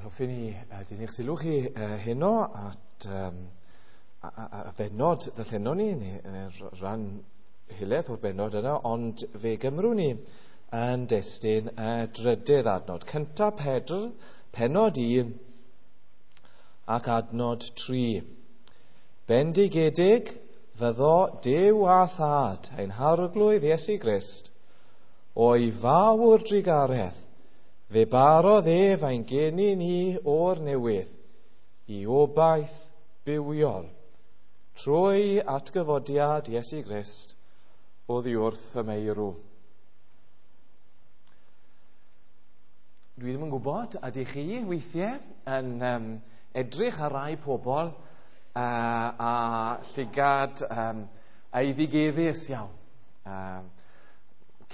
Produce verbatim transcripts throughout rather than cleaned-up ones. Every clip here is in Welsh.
Hoffwn i uh, dynnu'ch sylw chi uh, heno at um, a, a, a bennod ddarllenon ni, neu, neu rhan helaeth o'r bennod yna, ond fe gymrwn ni yn destun y drydydd adnod. Cynta Pedr, pennod un ac adnod tri. Bendigedig fyddo Duw a Thad ein Harglwydd Iesu Grist, o'i fawr drugaredd, fe barodd ef ein geni ni o'r newydd i obaith bywiol trwy atgyfodiad Iesu Grist oddi wrth y meirw. Dwi ddim yn gwybod ydych chi weithiau yn um, edrych ar rai pobl uh, a llygad um, eiddigeddus iawn. Um,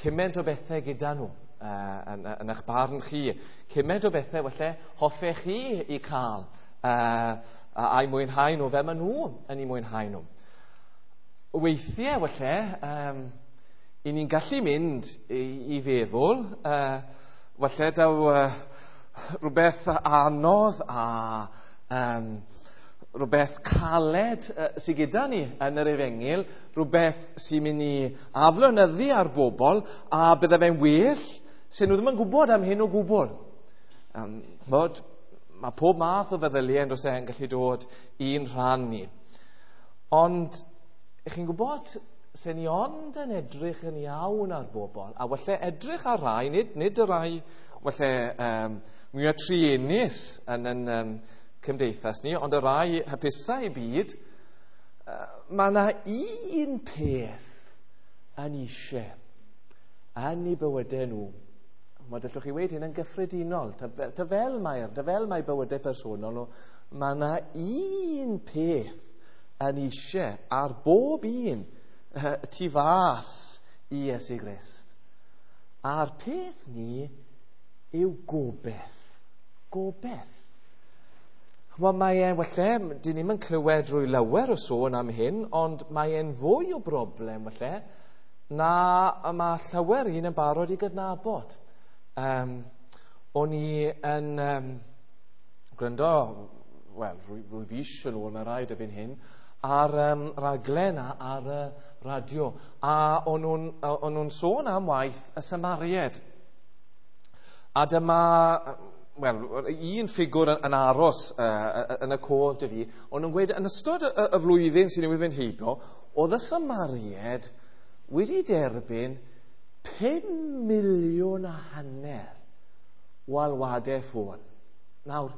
cymaint o bethau gyda nhw. Uh, yn, yn eich barn chi. Cymaint o bethau falle hoffech chi i cael uh, a'i mwynhau nhw fel maen nhw yn ei mwynhau nhw. Weithiau falle, um, i ni'n gallu mynd i, i feddwl, uh, falle daw uh, rhywbeth anodd a um, rhywbeth caled uh, sydd gyda ni yn yr efengyl, rhywbeth sy'n mynd i aflonyddu ar bobl a bydde fe'n well sy'n nhw ddim yn gwybod am hyn o gwbl. Um, bod, mae pob math o feddyliau yn e yn gallu dod i'n rhan ni. Ond, ych chi'n gwybod, sy'n ni ond yn edrych yn iawn ar bobl, a falle edrych ar rai, nid, nid y rai falle um, mwyaf truenus yn, yn um, cymdeithas ni, ond y rai hapusau i byd, uh, mae yna un peth yn eisiau yn eu bywydau nhw. Mae gallwch chi weud hyn yn gyffredinol, ta, ta fel mae'r, ta fel mae bywydau personol nhw, mae yna un peth yn eisiau ar bob un uh, tu fas i Iesu Grist. A'r peth ni yw gobeith. Gobeith. Ch'mod, mae e'n, falle, dyn ni'm yn clywed drwy lawer o sôn am hyn, ond mae e'n fwy o broblem, falle, na mae llawer un yn barod i gydnabod. Um, o'n i yn um, gwrando, wel, rwy, rwy fis yn ôl, mae rhaid erbyn hyn, ar um, raglen a, ar y radio, a o'n nhw'n, o'n nhw'n sôn am waith y Samaried. A dyma, wel, un ffigwr yn, yn aros uh, yn y cof dy fi, o'n nhw'n gweud, yn ystod y, y flwyddyn sy'n newydd fynd heibio, oedd y Samaried wedi derbyn pum miliwn a hanner o alwadau ffôn. Nawr,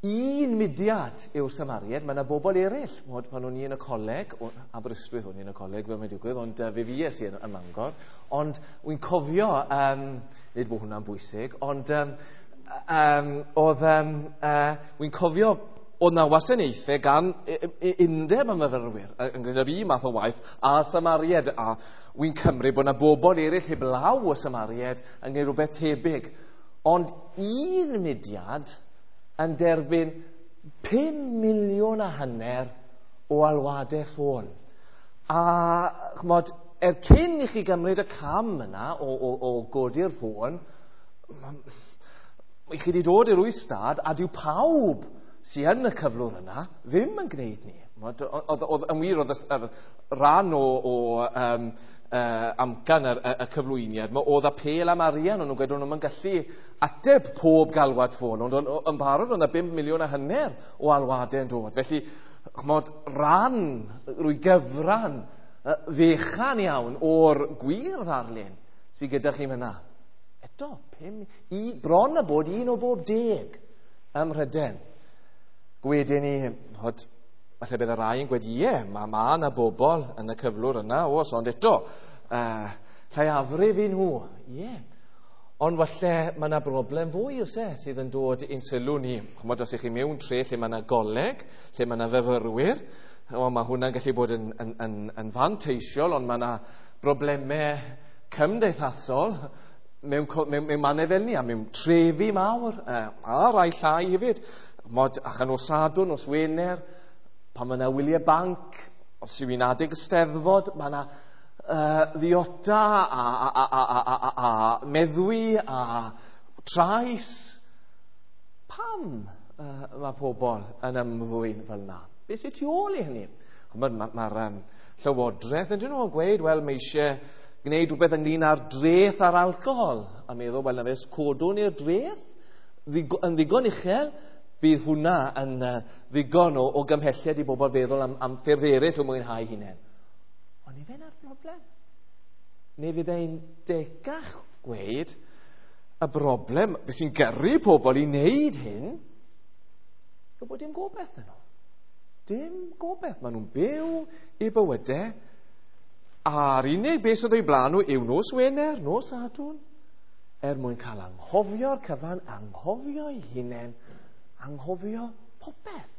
un mudiad yw'r Samaried, mae yna bobl eraill. Mod, pan o'n i yn y coleg, o, Aberystwyth o'n i yn y coleg, fel mae'n digwydd, ond uh, fe fues i yn, ym Mangor. Ond wy'n cofio, um, nid bod hwnna'n bwysig, ond um, um, oedd, um, uh, wy'n cofio oedd na wasanaethau gan undeb y myfyrwyr yn gwneud yr un math o waith a Samaried, a wy'n cymryd bod yna bobl eraill heblaw y Samaried yn gwneud rhywbeth tebyg. Ond un mudiad yn derbyn pum miliwn a hanner o alwadau ffôn. A ch'mod, er cyn i chi gymryd y cam yna o, o, o godi'r ffôn, i chi wedi dod i'r ystad a dyw pawb sy'n yn y cyflwr yna ddim yn gwneud ni. Oedd, oedd, yn wir, oedd y rhan o, o um, uh, amcan y, y, y cyflwyniad, oedd apêl am arian, o'n nhw'n gweud o'n nhw'n gallu ateb pob galwad ffôn, ond yn barod oedd yna bum miliwn a hanner o alwadau yn dod. Felly, ch'mod, rhan, rwy gyfran fechan iawn o'r gwir ddarlun sydd gyda chi fyna. Eto, pum, i, bron a bod un o bob deg ym Mhrydain. Gwedyn ni, hod, falle bydd y rai yn gweud, ie, mae ma yna bobl yn y cyflwr yna, oes, ond eto, uh, lleiafrif i nhw, ie. Ond falle mae yna broblem fwy, oes e, sydd yn dod i'n sylw ni. Ch'mod, os ych chi mewn tre lle mae yna goleg, lle mae yna fyfyrwyr, o, mae hwnna'n gallu bod yn, yn, yn, yn fanteisiol, ond mae yna broblemau cymdeithasol mewn, mewn, mewn mannau fel ni, a mewn trefi mawr, uh, a rai llai hefyd. Mod, allan o Sadwrn, nos Wener, pan mae yna wyliau banc, os yw hi'n adeg y Steddfod, mae yna uh, ddiota a, a, a, a, a, a, a meddwi a trais. Pam uh, mae pobl yn ymddwyn fel yna? Beth sy'n tu ôl i hynny? Mae'r ma, ma, um, llywodraeth yn dyn nhw'n gweud, wel, mae eisiau gwneud rhywbeth ynglyn â'r dreth ar alcohol. A meddwl, wel, na fe, codwn i'r dreth yn ddigon uchel, bydd hwnna yn uh, ddigon o, o gymhelliad i bobl feddwl am, am ffyrdd eraill o mwynhau hunain. Ond i fe'n ar broblem? Neu fydd e'n decach gweud y broblem, beth sy'n gyrru pobl i wneud hyn, yw bod dim gobeith yn nhw. Dim gobeith. Maen nhw'n byw i bywydau, a'r unig beth sydd o'i blaen nhw yw nos Wener, nos Sadwrn, er mwyn cael anghofio'r cyfan, anghofio'i hunain, anghofio popeth.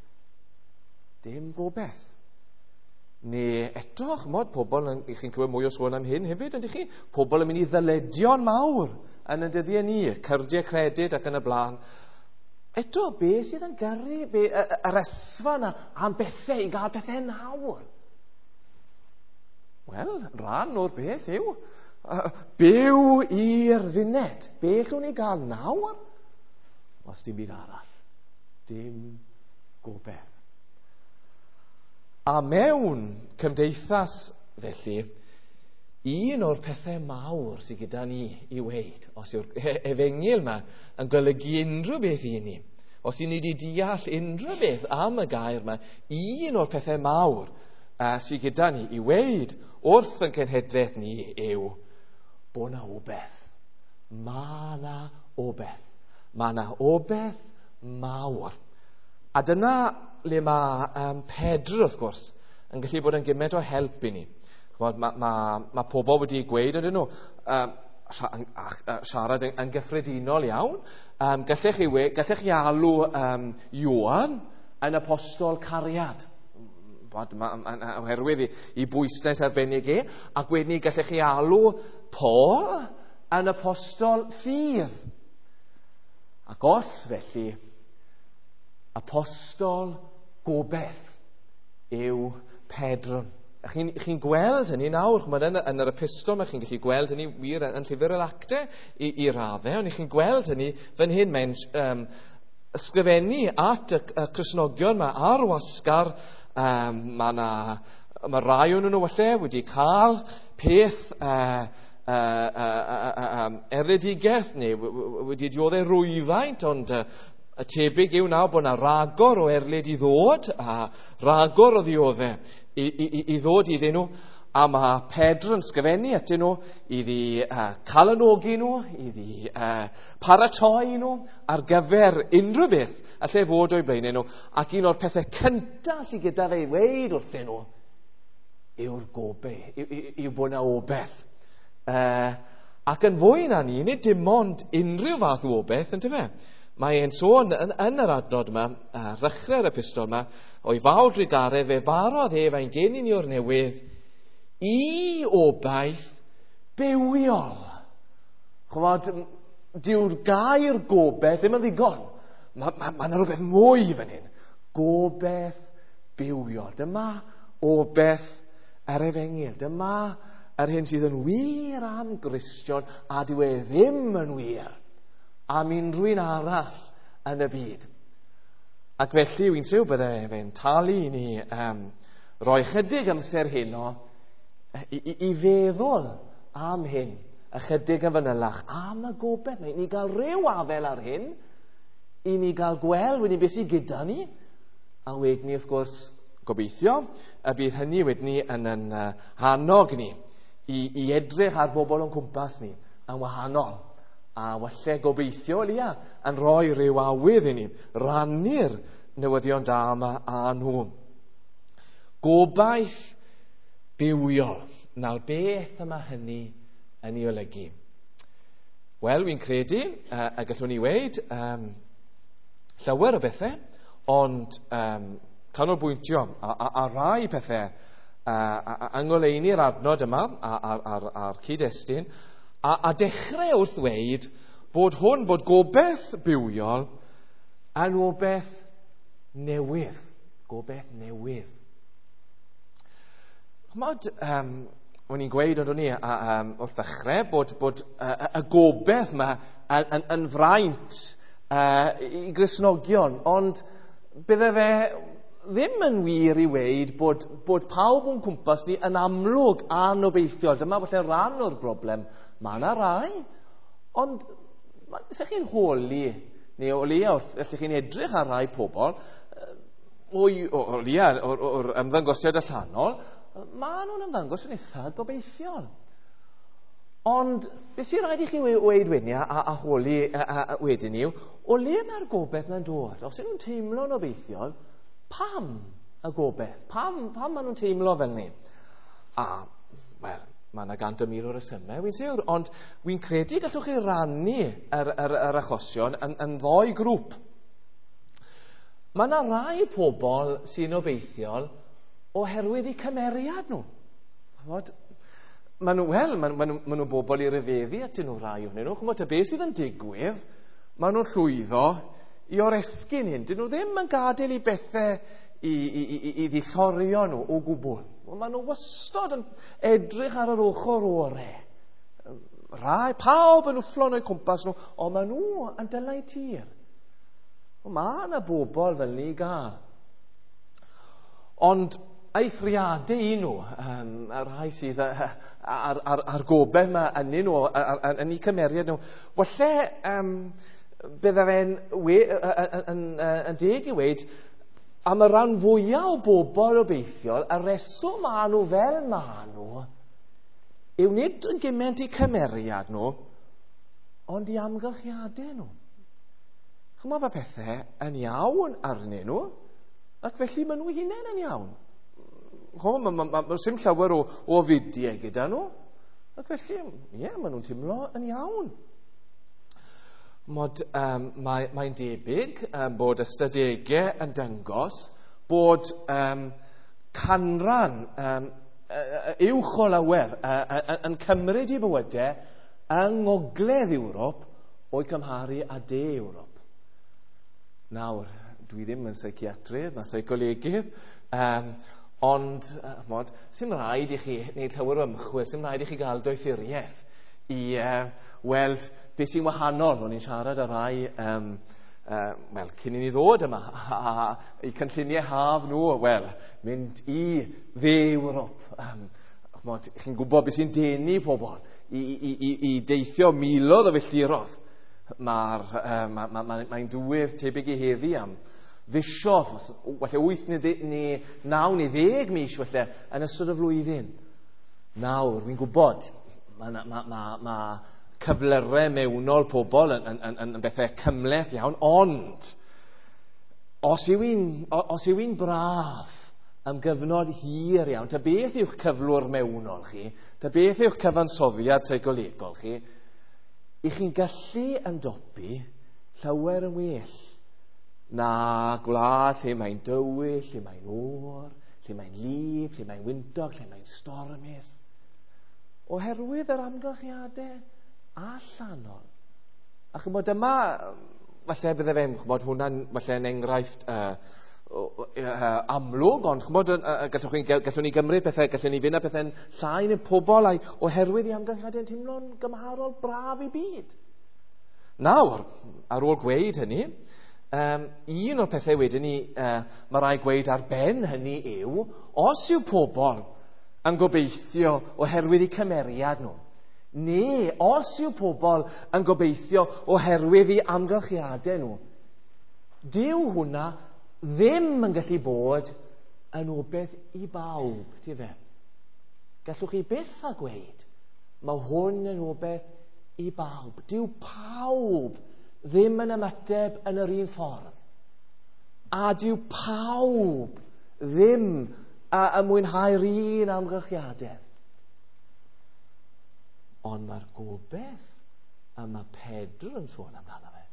Dim gobeith. Neu eto, ch'mod, pobl, yn, chi'n clywed mwy o sôn am hyn hefyd, ydych chi? Pobl yn mynd i ddyledion mawr yn y dyddiau ni, cyrdiau credyd ac yn y blaen. Eto, be sydd yn gyrru be, y, yr ysfa yna am bethau, i gael bethau nawr? Wel, rhan o'r beth yw uh, byw i'r funed. Be allwn ni gael nawr? Os dim byd arall. Dim gobeith. A mewn cymdeithas felly, un o'r pethau mawr sydd gyda ni i weud, os yw'r efengyl yma yn golygu unrhyw beth i ni, os i ni wedi deall unrhyw beth am y gair yma, un o'r pethau mawr uh, sydd gyda ni i weud wrth yn cenhedlaeth ni yw bod na obeith. Mae na obeith. Mae na obeith mawr. A dyna le mae um, Pedr, wrth gwrs, yn gallu bod yn gymaint o help i ni. Mae ma, ma, ma pobl wedi gweud ydyn nhw, um, siarad yn, yn gyffredinol iawn, um, gallech chi, we, gallech chi alw um, Ioan yn apostol cariad. Bod, ma, ma, ma, oherwydd i, i bwyslais arbennig e, ac wedyn ni gallech chi alw Paul yn apostol ffydd. Ac os felly, apostol gobeith yw Pedr. A chi'n chi gweld hynny nawr, ch'mod, yn, yn yr epistol, mae chi'n gallu gweld hynny wir yn, yn llyfr yr actau i, i raddau, ond chi'n gweld hynny fan hyn, mae'n um, ysgrifennu at y, y Cristnogion yma ar wasgar. Um, mae na, mae rai o'n nhw falle wedi cael peth uh, uh, uh, uh, uh, um, erledigaeth neu wedi dioddef rwyfaint, ond uh, y tebyg yw nawr bod yna ragor o erlid i ddod a ragor o ddioddef i, i, i ddod iddyn nhw. A mae Pedr yn sgrifennu atyn nhw iddi uh, calanogi nhw, iddi uh, paratoi nhw ar gyfer unrhyw beth allai fod o'i blaenau nhw. Ac un o'r pethau cyntaf sydd gyda fe i weud wrthyn nhw yw'r gobeith, yw, yw, yw bod yna obeith. Uh, ac yn fwy na ni, nid dim ond unrhyw fath o obeith, yndyfe? Mae e'n sôn yn, yn yr adnod yma, ar ddechrau'r epistol yma, o'i fawr drugaredd fe barodd ef ein geni ni o'r newydd i obaith bywiol. Ch'mod, dyw'r gair gobeith ddim yn ddigon. Mae ma, ma 'na rhywbeth mwy fan hyn. Gobeith bywiol. Dyma obeith yr efengyl. Dyma yr hyn sydd yn wir am Gristion, a dyw e ddim yn wir am unrhyw un arall yn y byd. Ac felly, wy'n siŵr bydde fe'n talu i ni um, roi chydig amser heno i, i, i feddwl am hyn, ychydig yn fanylach, am y gobeith. Mae ni gael rhyw afel ar hyn, i ni gael gweld wedyn beth sydd gyda ni, a wedyn ni, wrth gwrs, gobeithio, y bydd hynny wedyn ni yn yn uh, hannog ni i, i edrych ar bobl o'n cwmpas ni yn wahanol. A walle gobeithio, Lia, yn rhoi rhyw awydd i ni rannu'r newyddion da yma â nhw. Gobaith bywiol. Nawr, beth yma hynny yn ei olygu? Wel, wy'n credu, uh, y gallwn ni weud, um, llawer o bethau, ond um, canolbwyntio a, a, a rai pethau uh, yng ngoleuni'r adnod yma a'r, a'r, a'r cyd-destun, a, a dechrau wrth ddweud bod hwn, bod gobeith bywiol yn obeith newydd. Gobeith newydd. Ch'mod, um, o'n i'n gweud ond o'n i a, um, wrth ddechrau bod, bod uh, y gobeith yma yn, yn, yn fraint uh, i Gristnogion, ond bydde fe ddim yn wir i weud bod, bod pawb o'n cwmpas ni yn amlwg anobeithiol. Dyma falle rhan o'r broblem. Mae yna rai, ond se chi'n holi, neu o leia wrth, allwch chi'n edrych ar rai pobl, o, o, o leia o'r, o'r ymddangosiad allanol, maen nhw'n ymddangos yn eitha gobeithiol. Ond beth sy'n rhaid i chi weud wedyn a, a, a holi a, a, a wedyn yw, o le mae'r gobeith na'n dod? Os ydyn nhw'n teimlo'n obeithiol, pam y gobeith? Pam, pam maen nhw'n teimlo fel ni? A, wel, mae yna gant y mil o resymau, wy'n siŵr, ond wy'n credu gallwch chi rannu yr, yr, yr achosion yn, yn ddoi grŵp. Mae yna rai pobl sy'n obeithiol oherwydd eu cymeriad nhw. Ch'mod, maen nhw, wel, maen, maen, nhw, maen nhw bobl i ryfeddu atyn nhw rai ohonyn nhw. Ch'mod, ta beth sydd yn digwydd, maen nhw'n llwyddo i oresgyn hyn. Dyn nhw ddim yn gadael i bethau i, i, i, i ddillorio nhw o gwbl. Maen nhw wastod yn edrych ar yr ochr orau. Rai, pawb yn wfflon o'u cwmpas nhw, ond maen nhw yn dylai tir. Mae yna bobl fel ni gael. Ond eithriadau i nhw, um, y rhai sydd ar, ar, ar, ar gobeith yma ynyn nhw, ar, ar, yn eu cymeriad nhw, falle um, bydde fe'n we, yn, yn, yn deg i weud, am y rhan fwyaf o bobl obeithiol, y reswm maen nhw fel maen nhw, yw nid yn gymaint eu cymeriad nhw, ond i amgylchiadau nhw. Ch'mod, mae pethau yn iawn arnyn nhw, ac felly maen nhw hunain yn iawn. Ch'mod, ma, ma, ma, ma, sim llawer o, o fudiau gyda nhw, ac felly, ie, yeah, maen nhw'n teimlo yn iawn. Mod, um, mae, mae'n debyg um, bod ystadegau yn dangos bod um, canran um, uwch o lawer uh, yn cymryd i bywydau yng ngogledd Ewrop o'i cymharu â de Ewrop. Nawr, dwi ddim yn seiciatrydd na seicolegydd, um, ond uh, mod, sy'n rhaid i chi wneud llawer o ymchwil, sy'n rhaid i chi gael doethuriaeth i uh, weld beth sy'n wahanol. O'n i'n siarad â rai um, uh, wel, cyn i ni ddod yma, a, a, i cynlluniau haf nhw, wel, mynd i dde Ewrop. Um, ch'mod, chi'n gwybod beth sy'n denu pobl i, i, i, i deithio miloedd o filltirodd. Mae'r, uh, ma, ma, ma, mae'n dywydd tebyg i heddi am fisio, falle wyth neu, neu naw neu ddeg mis falle yn ystod y flwyddyn. Nawr, wy'n gwybod, mae ma, ma, ma, ma cyflyrau mewnol pobl yn, yn, yn, yn bethau cymhleth iawn, ond os yw'n, os yw'n braf am gyfnod hir iawn, ta beth yw'ch cyflwr mewnol chi, ta beth yw'ch cyfansoddiad seicolegol chi, i chi'n gallu ymdopi llawer yn well na gwlad lle mae'n dywyll, lle mae'n oer, lle mae'n lib, lle mae'n wyntog, lle mae'n stormus. Oherwydd yr amgylchiadau allanol. A ch'mod yma, falle bydde fe'n, ch'mod hwnna'n falle'n enghraifft uh, uh, amlwg, ond ch'mod, uh, gallwch chi, gallwn ni gymryd pethau, gallwn ni fynd â pethau'n llai neu pobl a'i, oherwydd i amgylchiadau'n teimlo'n gymharol braf i byd. Nawr, ar ôl gweud hynny, um, un o'r pethau wedyn ni, uh, mae rai gweud ar ben hynny yw, os yw pobl yn gobeithio oherwydd eu cymeriad nhw, neu os yw pobl yn gobeithio oherwydd eu amgylchiadau nhw, dyw hwnna ddim yn gallu bod yn obeith i bawb, ti fe? Gallwch chi byth a gweud, mae hwn yn obeith i bawb. Dyw pawb ddim yn ymateb yn yr un ffordd. A dyw pawb ddim a mwynhau'r un amgylchiadau. Ond mae'r gobeith a mae Pedr yn sôn amdano fe,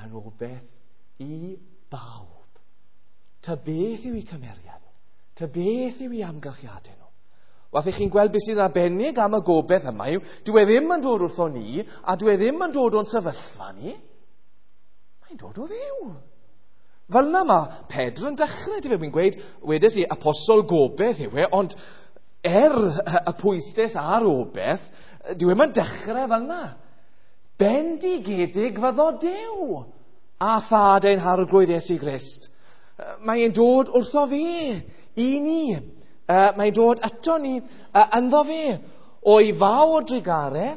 yn obeith i bawb. Ta beth yw eu cymeriad nhw? Ta beth yw eu amgylchiadau nhw? Wath i chi'n gweld beth sydd arbennig am y gobeith yma yw, dyw e ddim yn dod wrtho ni, a dyw e ddim yn dod o'n sefyllfa ni. Mae'n dod o Dduw. Fel yna mae Pedr yn dechrau, dyw e, fi'n gweud, wedes i, apostol gobeith yw e, ond er y pwysles ar obeith, dyw e'n dechrau fel yna. Bendigedig fyddo Duw a thad ein harglwydd Iesu Grist. Mae'n dod wrtho fe i ni. Mae'n dod ato ni ynddo fe. O'i fawr drugare,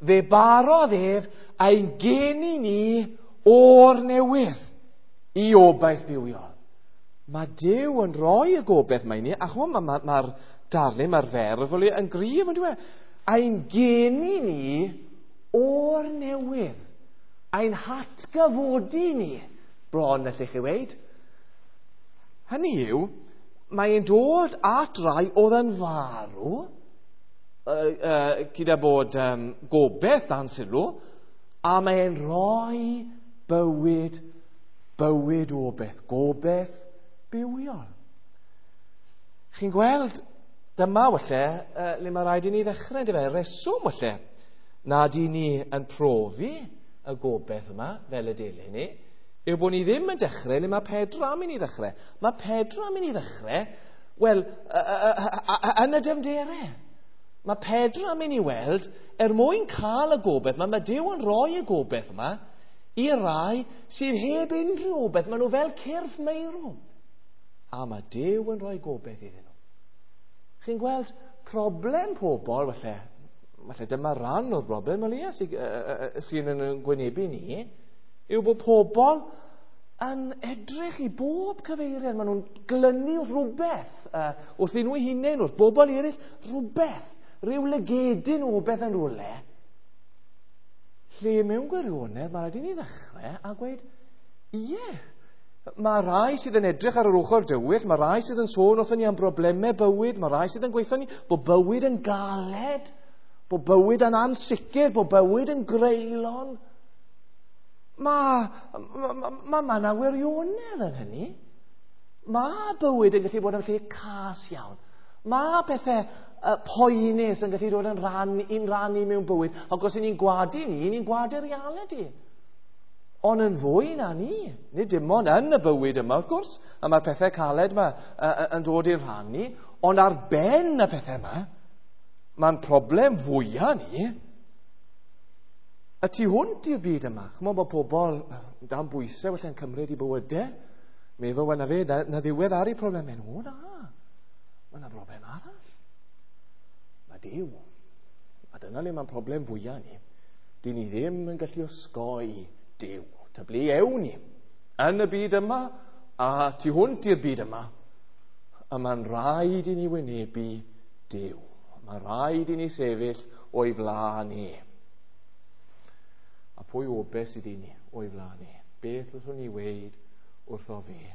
fe barodd ef ein geni ni o'r newydd i obaith bywiol. Mae Duw yn rhoi y gobaith mae ni, a chymod, mae'r ma, ma darlun, mae'r ferf yn gryf, yn dweud, ein geni ni o'r newydd, ein hatgyfodi ni, bron allech chi weud. Hynny yw, mae'n dod at rai oedd yn farw, uh, uh, gyda bod um, gobaith dan sylw, a mae'n rhoi bywyd, bywyd obaith, gobaith bywiol. Chi'n gweld, dyma walle, uh, le mae rhaid i ni ddechrau, yndyfe, reswm walle, nad i ni yn profi y gobaith yma, fel y dilyn ni, yw bod ni ddim yn dechrau le mae Pedro am i ni ddechrau. Mae Pedro am i ni ddechrau, wel, yn y dyfnderau. Mae Pedro am i ni weld, er mwyn cael y gobaith yma, mae Duw yn rhoi y gobaith yma i rai sydd heb unrhyw obaith. Maen nhw fel cyrff meirw. A mae Duw yn rhoi gobaith iddyn nhw. Chi'n gweld problem pobl, falle, falle dyma ran o'r broblem, o leia, sy'n yn gwynebu ni, yw bod pobl yn edrych i bob cyfeiriad. Maen nhw'n glynu wrth rhywbeth, uh, wrth nhw hunain, wrth bobl eraill, rhywbeth, rhyw lygedyn o beth yn rhywle. Lle mewn gwirionedd, mae rhaid i ni ddechrau a gweud, ie, mae rai sydd yn edrych ar yr ochr dywyll, mae rai sydd yn sôn wrthyn ni am broblemau bywyd, mae rai sydd yn gweithio ni bod bywyd yn galed, bod bywyd yn ansicr, bod bywyd yn greulon. Mae ma, ma, ma na wirionedd yn hynny. Mae bywyd yn gallu bod yn lle cas iawn. Mae pethau uh, poenus yn gallu dod yn rhan, un rhan i mewn bywyd. Ac os ni'n gwadu ni, ni'n gwadu'r realiti. Ond yn fwy na ni. Nid dim ond yn y bywyd yma, wrth gwrs. A mae'r pethau caled yma uh, yn dod i'r rhan ni. Ond ar ben y pethau yma, mae'n problem fwyaf ni. Y tu hwnt i'r byd yma, chymod bod pobl dan bwysau felly'n cymryd i bywydau, meddwl, wel na fe, na, na ddiwedd ar eu problemau nhw. Na, mae yna broblem arall. Mae Duw. A dyna le mae'n problem fwyaf ni. Dyn ni ddim yn gallu osgoi Duw. Ta ble ewn ni? Yn y byd yma, a tu hwnt i'r byd yma, a mae'n rhaid i ni wynebu Duw. Mae'n rhaid i ni sefyll o'i flaen ni. A pwy obaith sydd i ni o'i flaen ni? Beth allwn ni weud wrtho fe?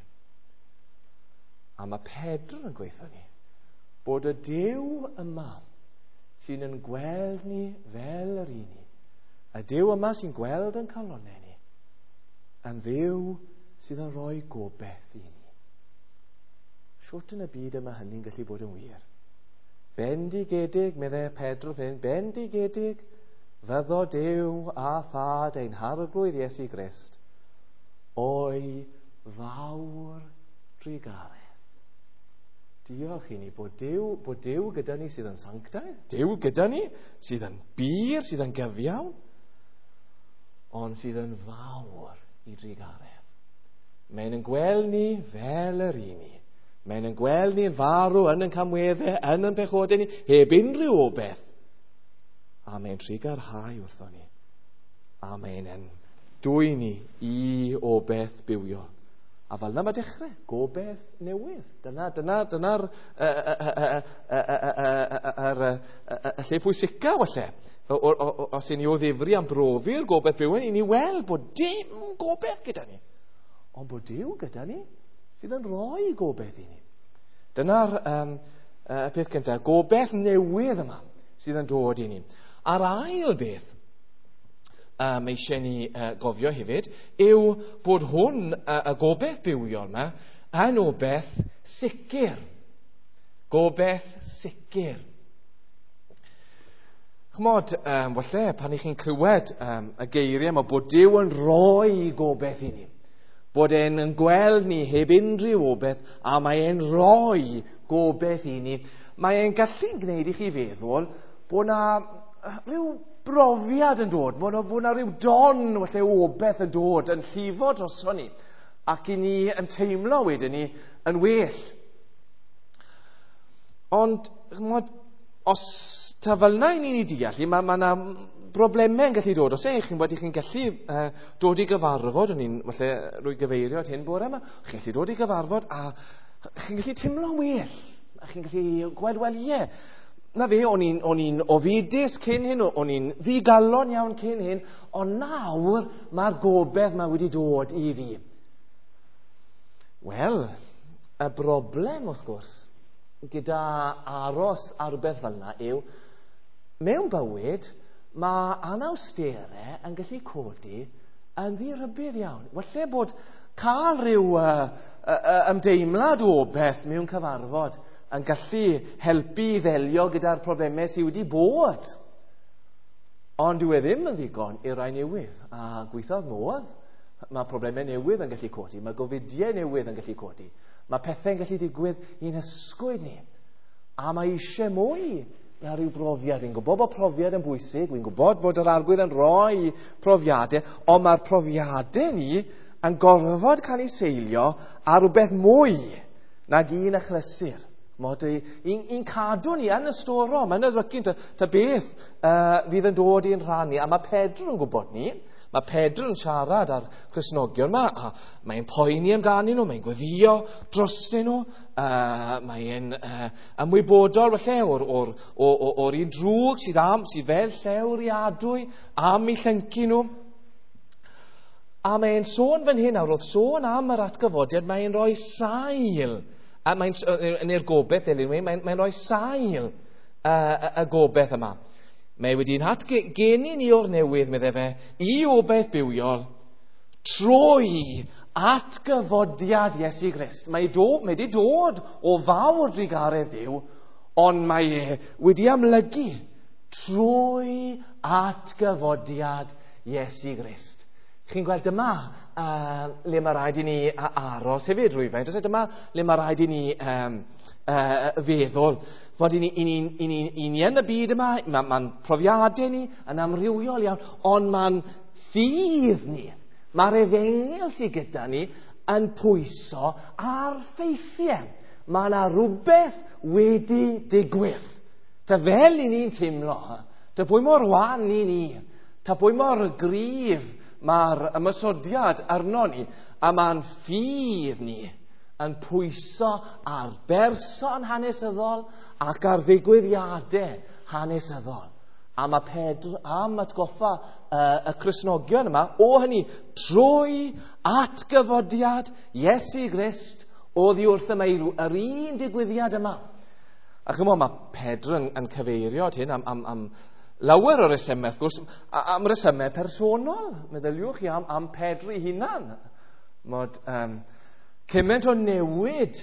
A mae Pedro yn gweithio ni bod y Duw yma sy'n yn gweld ni fel yr un ni, y Duw yma sy'n gweld yn calonnau ni, yn Dduw sydd yn rhoi gobaith i ni. Shwt yn y byd yma hynny'n gallu bod yn wir? Bendigedig, meddai Pedro fan hyn, bendigedig fyddo Duw a thad ein harglwydd Iesu Grist o'i fawr drugaredd. Diolch i ni bod Duw, bod Duw gyda ni sydd yn sanctaidd, Duw gyda ni sydd yn bur, sydd yn gyfiawn, ond sydd yn fawr i drugaredd. Mae'n yn gweld ni fel yr un ni. Mae'n yn gweld ni'n farw yn yn camweddau, yn yn pechodau ni, heb unrhyw obaith. A mae'n trugarhau wrtho ni. A mae'n yn dwy ni i obaith bywiol. A fel yna mae dechrau, gobaith newydd. Dyna, dyna, dyna'r lle pwysica, falle. Os i ni o ddifri am brofi'r gobaith bywiol, i ni weld bod dim gobaith gyda ni. Ond bod Duw gyda ni sydd yn rhoi gobaith i ni. Dyna'r um, y peth cyntaf, gobaith newydd yma sydd yn dod i ni. A'r ail beth um, eisiau ni uh, gofio hefyd yw bod hwn, uh, y gobaith bywiol yma, yn obaith sicr. Gobaith sicr. Chymod, um, falle, pan i chi'n clywed um, y geiriau yma, bod Duw yn rhoi gobaith i ni. Bod e'n yn gweld ni heb unrhyw obaith, a mae e'n rhoi gobaith i ni. Mae e'n gallu gwneud i chi feddwl bod na rhyw brofiad yn dod, bod yna rhyw don falle o beth yn dod yn llifo droson ni, ac i ni yn teimlo wedyn ni yn well. Ond, ch'mod, os ta fel yna i ni'n ei deall, mae ma yna broblemau yn gallu dod. Os ych chi'n bod, chi'n gallu uh, dod i gyfarfod, o'n i'n falle rwy gyfeirio at hyn bore yma, chi'n gallu dod i gyfarfod a chi'n gallu teimlo'n well. A chi'n gallu gweld, wel ie, na fe, o'n i'n, o'n i'n ofidus cyn hyn, o'n i'n ddigalon iawn cyn hyn, ond nawr mae'r gobaith yma wedi dod i fi. Wel, y broblem wrth gwrs gyda aros ar rhywbeth fel yna yw, mewn bywyd, mae anawsterau yn gallu codi yn ddirybudd iawn. Falle bod cael rhyw uh, uh, ymdeimlad o beth mewn cyfarfod yn gallu helpu i ddelio gyda'r problemau sydd wedi bod. Ond dyw e ddim yn ddigon i rai newydd. A gweithiodd modd, mae problemau newydd yn gallu codi, mae gofidiau newydd yn gallu codi, mae pethau'n gallu digwydd i'n hysgwyd ni. A mae eisiau mwy na rhyw brofiad. Dwi'n gwybod bod profiad yn bwysig, dwi'n gwybod bod yr Arglwydd yn rhoi profiadau, ond mae'r profiadau ni yn gorfod cael eu seilio ar rhywbeth mwy nag un achlysur. Mod i'n, i'n cadw ni yn y storom, yn y ddrycin, ta, ta beth uh, fydd yn dod i'n rhan ni. A mae Pedr yn gwybod ni. Mae Pedr yn siarad â'r Cristnogion yma, a mae'n poeni amdanyn nhw, mae'n gweddio drostyn nhw, uh, mae'n uh, ymwybodol falle o'r, or, or, or, or un drwg sydd, am, sydd fel llew adwy am eu llyncu nhw. A mae'n sôn fan hyn nawr, wrth sôn am yr atgyfodiad, mae'n rhoi sail, a mae'n, neu'r gobaith, mae'n, mae'n rhoi sail uh, y, y gobaith yma. Mae wedi'n hatgeni ni o'r newydd, meddai fe, i obaith bywiol, trwy atgyfodiad Iesu Grist. Mae, do, mae wedi dod o fawr drugaredd Duw, ond mae e wedi amlygu trwy atgyfodiad Iesu Grist. Chi'n gweld dyma uh, le mae rhaid i ni aros hefyd rhywfaint. Oes e? Dyma le mae rhaid i ni um, uh, feddwl. Fod i ni, i ni, i ni, i ni yn y byd yma, mae'n ma profiadau ni yn amrywiol iawn, ond mae'n ffydd ni, mae'r efengyl sydd gyda ni yn pwyso ar ffeithiau. Mae yna rhywbeth wedi digwydd. Ta fel i ni'n teimlo, ta pwy mor wan i ni, ta pwy mor gryf mae'r ymosodiad arno ni, a mae'n ffydd ni yn pwyso ar berson hanesyddol ac ar ddigwyddiadau hanesyddol. A mae Pedr am atgoffa uh, y Cristnogion yma o hynny trwy atgyfodiad Iesu Grist oddi wrth y meirw, yr un digwyddiad yma. A chymod, mae Pedr yn, yn cyfeirio at hyn am, am, am lawer o resymau, wrth gwrs, am resymau personol. Meddyliwch chi am, am Pedr ei hunan. Mod, um, cymaint o newid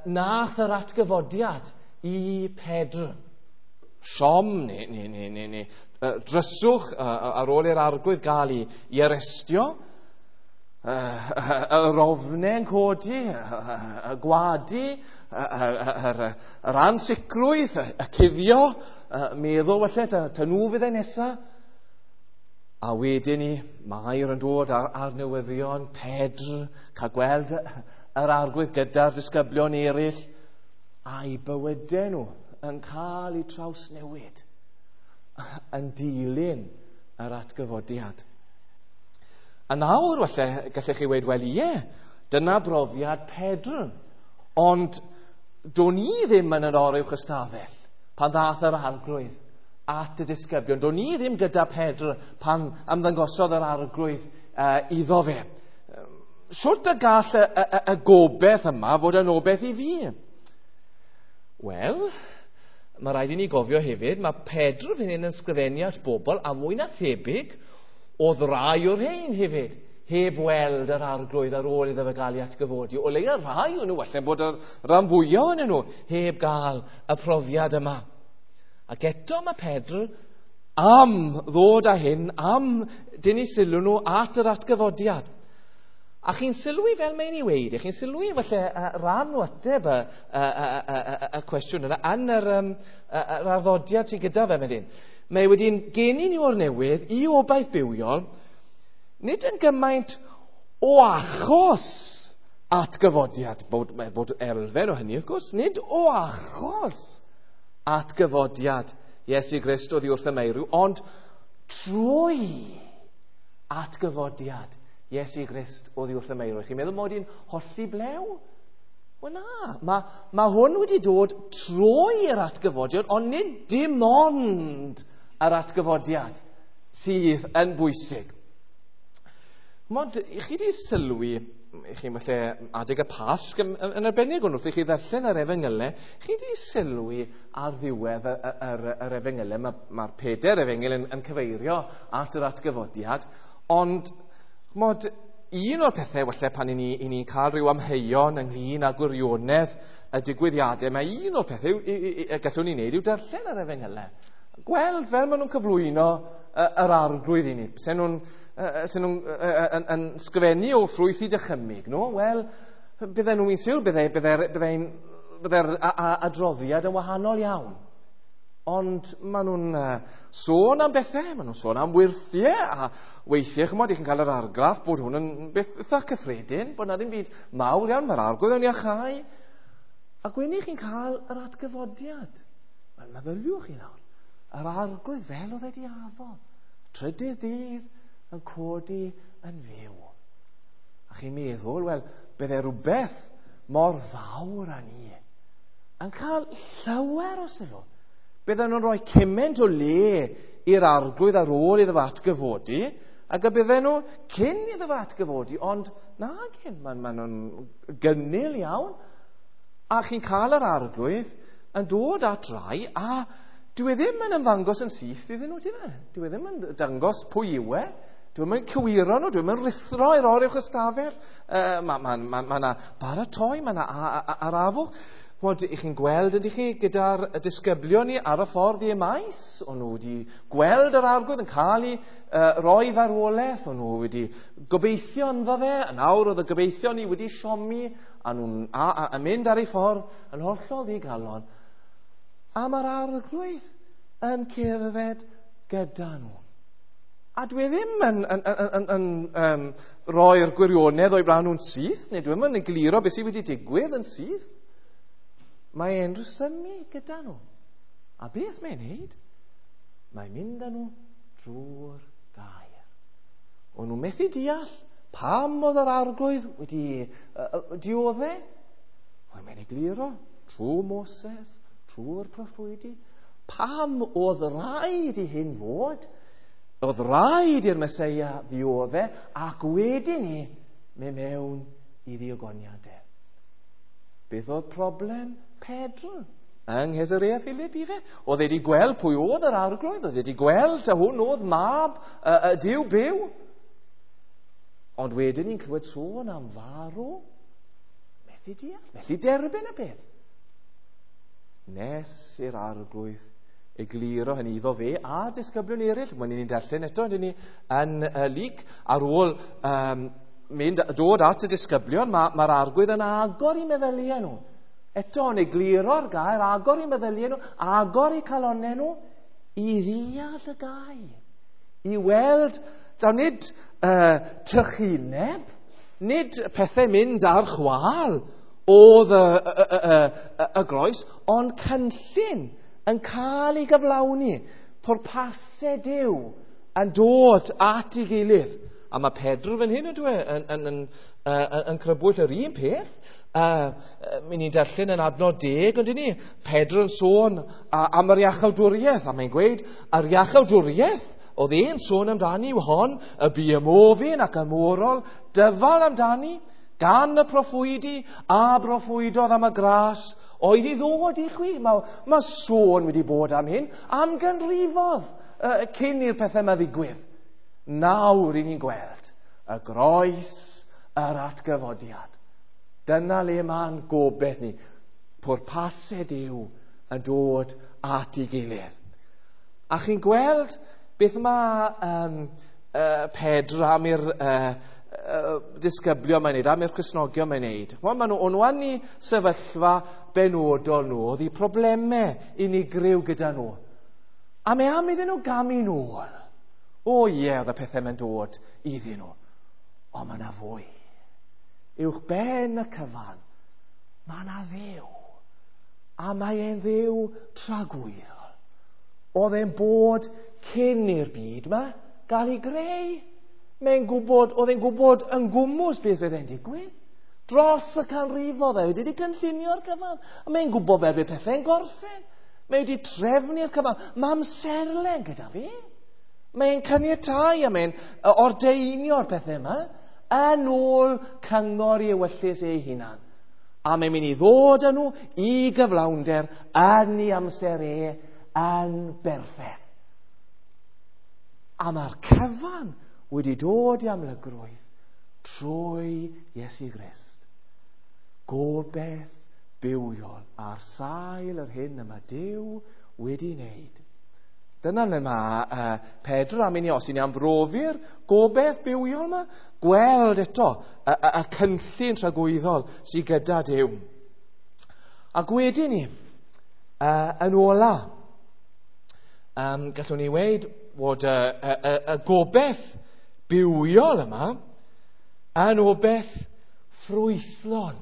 nath yr atgyfodiad i Pedr. Siom neu, neu, neu, neu, neu dryswch ar ôl i'r Arglwydd gael ei, ei arestio, yr ofnau yn codi, y gwadu, yr, yr ansicrwydd, y cuddio, meddwl falle, ta, ta nhw fydd e nesaf. A wedyn ni, Mair yn dod ar, ar newyddion, Pedr, cael gweld yr Arglwydd gyda'r disgyblion eraill, a'i bywydau nhw yn cael eu trawsnewid yn dilyn yr atgyfodiad. A nawr, falle, gallech chi weud, wel ie, dyna brofiad Pedr. Ond do'n i ddim yn yr oruwch ystafell pan ddath yr Arglwydd at y disgyblion. Do'n i ddim gyda Pedr pan ymddangosodd yr Arglwydd uh, iddo fe. Sut y gall y, y, y gobaith yma fod yn obaith i fi? Wel, mae rhaid i ni gofio hefyd, mae Pedr fan hyn yn sgrifennu at bobl a mwy na thebyg oedd rai o'r rhain hefyd heb weld yr Arglwydd ar ôl iddo fe gael ei atgyfodi. O leia rhai o'n nhw, falle bod y rhan fwyaf ohonyn nhw heb gael y profiad yma. Ac eto mae Pedr am ddod â hyn, am dynnu sylw nhw at yr atgyfodiad. A chi'n sylwi fel mae'n ei weud, chi'n sylwi falle rhan o ateb y, y, y, y, y, y cwestiwn yna yn yr, um, yr arddodiad sydd gyda fe fan hyn. Mae wedi'n geni ni o'r newydd i obaith bywiol, nid yn gymaint o achos atgyfodiad, bod, bod elfen o hynny wrth gwrs, nid o achos atgyfodiad Iesu Grist oddi wrth y meirw, ond trwy atgyfodiad Iesu Grist oddi wrth y meirw. Chi'n meddwl mod i'n hollti blew? Wel na, mae, mae hwn wedi dod trwy'r atgyfodiad, ond nid dim ond yr atgyfodiad sydd yn bwysig. Mod, chi wedi sylwi, chi falle adeg y Pasg yn, yn arbennig, ond wrth i chi ddarllen yr efengylau, chi wedi sylwi ar ddiwedd yr, yr, yr efengylau, mae'r ma pedair efengyl yn, yn cyfeirio at yr atgyfodiad, ond mod, un o'r pethau falle pan i ni, i ni cael rhyw amheuon ynglyn â gwirionedd y digwyddiadau, mae un o'r pethau y gallwn ni wneud yw darllen yr efengylau. Gweld fel maen nhw'n cyflwyno yr arglwydd i ni. Sen nhw'n sen nhw'n yn, yn sgrifennu o ffrwyth i dychymyg nhw, wel, bydden nhw'n siŵr, byddai'r bydde, bydde, bydde adroddiad yn wahanol iawn. Ond maen nhw'n uh, sôn am bethau, maen nhw'n sôn am wyrthiau, a weithiau, chymod, i chi'n cael yr argraff bod hwn yn beth eitha cyffredin, bod na ddim byd mawr iawn, mae'r arglwydd yn iachau. Ac wedyn chi'n cael yr atgyfodiad. Wel, meddyliwch chi nawr, yr arglwydd fel oedd wedi addo, trydydd dydd yn codi yn fyw. A chi'n meddwl, wel, bydde rhywbeth mor fawr â ni yn cael llawer o sylw. Bydden nhw'n rhoi cymaint o le i'r arglwydd ar ôl iddo fo atgyfodi, ac y bydden nhw cyn iddo fo atgyfodi, ond na gyn, maen ma nhw'n gynnil iawn. A chi'n cael yr arglwydd yn dod at rai, a dyw e ddim yn ymddangos yn syth iddyn nhw, ti'n e? Dyw e ddim yn dangos pwy yw e. Dyw e ddim yn cywiro nhw, dyw e ddim yn rhuthro i'r oruwch ystafell. Uh, mae ma, ma, ma na baratoi, mae na arafwch. Mod, i chi'n gweld, ydych chi, gyda'r disgyblion ni ar y ffordd i Emaus, o'n nhw wedi gweld yr arglwydd yn cael ei uh, roi farwolaeth, o'n nhw wedi gobeithio ynddo fe, a nawr oedd y gobeithio ni wedi siomi, a nhw'n a, a, a mynd ar ei ffordd yn hollol ddigalon. A mae'r arglwydd yn cerdded gyda nhw. A dwi ddim yn, yn, yn, yn, yn um, roi'r gwirionedd o'i blaen nhw'n syth, neu dwi ddim yn egluro beth sydd wedi digwydd yn syth. Mae e'n rhesymu gyda nhw. A beth mae'n neud? Mae'n mynd â nhw drwy'r gair. O'n nhw methu deall pam oedd yr arglwydd wedi uh, diodde. Wel, mae'n egluro trwy Moses, trwy'r proffwydi. Pam oedd rhaid i hyn fod? Oedd rhaid i'r Meseia ddiodde ac wedyn ni mynd mewn i ddiogoniadau. Beth oedd problem Pedr yng Nghaesarea Philippi fe? Oedd wedi gweld pwy oedd yr arglwydd, oedd wedi gweld a hwn oedd mab y, y Duw byw. Ond wedyn ni'n clywed sôn am farw. Methu deall, methu derbyn y peth. Nes i'r arglwydd egluro hynny iddo fe a disgyblion eraill. Mae'n ni'n darllen eto, ydyn ni yn uh, Luc, ar ôl um, mynd, dod at y disgyblion, mae'r ma arglwydd yn agor i meddyliau nhw. Eto, yn egluro'r gair, agor i meddyliau nhw, agor i calonnau nhw, i ddeall y gair. I weld, daw nid uh, trychineb, nid pethau mynd ar chwâl oedd y, y, y, y, y, y groes, ond cynllun yn cael ei gyflawni, pwrpasau Duw yn dod at ei gilydd. A mae Pedr fan hyn ydw e, yn, yn, yn, yn, yn crybwyll yr un peth. Uh, mi ni'n darllen yn adnod deg, ond ni, Pedr yn sôn am yr iachawdwriaeth, a mae'n gweud, yr iachawdwriaeth oedd e'n sôn amdani yw hon, y bu ymofyn ac ymorol, dyfal amdani, gan y proffwydi a broffwydodd am y gras oedd i ddod i chwi. Mae, mae sôn wedi bod am hyn, am ganrifodd uh, cyn i'r pethau yma ddigwydd. Nawr i ni'n gweld y groes, yr atgyfodiad. Dyna le mae'n gobeith ni. Pwrpasau Duw yn dod at ei gilydd. A chi'n gweld beth mae um, uh, Pedr am i'r uh, uh, disgyblion mae'n neud, am i'r Cristnogion mae'n neud. Wel, maen nhw, o'n nhw yn eu sefyllfa benodol nhw, oedd eu problemau unigryw gyda nhw. A mae am iddyn nhw gamu nôl. O ie, oedd y pethau mae'n dod iddyn nhw. Ond mae yna fwy. Uwch ben y cyfan, mae yna Dduw. A mae e'n Dduw tragwyddol. Oedd e'n bod cyn i'r byd yma gael ei greu. Mae'n gwybod, oedd e'n gwybod yn gwmws beth fydd e'n digwydd. Dros y canrifoedd, e wedi cynllunio'r cyfan. A mae'n gwybod fel bydd pethau'n gorffen. Mae wedi trefnu'r cyfan. Mae amserlen gyda fi. Mae'n caniatáu a mae'n ordeinio'r pethau yma yn ôl cyngor i ewyllys ei hunan. A mae'n mynd i ddod â nhw i gyflawnder yn ei amser e yn berffaith. A mae'r cyfan wedi dod i amlygrwydd trwy Iesu Grist. Gobeith bywiol ar sail yr hyn y mae Duw wedi wneud. Dyna le mae uh, Pedr am i ni, os i ni am brofi'r gobeith bywiol yma, gweld eto y, y, y cynllun tragwyddol sydd gyda Duw. Ac wedyn ni, uh, yn ola, um, gallwn ni weud bod y, y, y, y gobeith bywiol yma yn obeith ffrwythlon.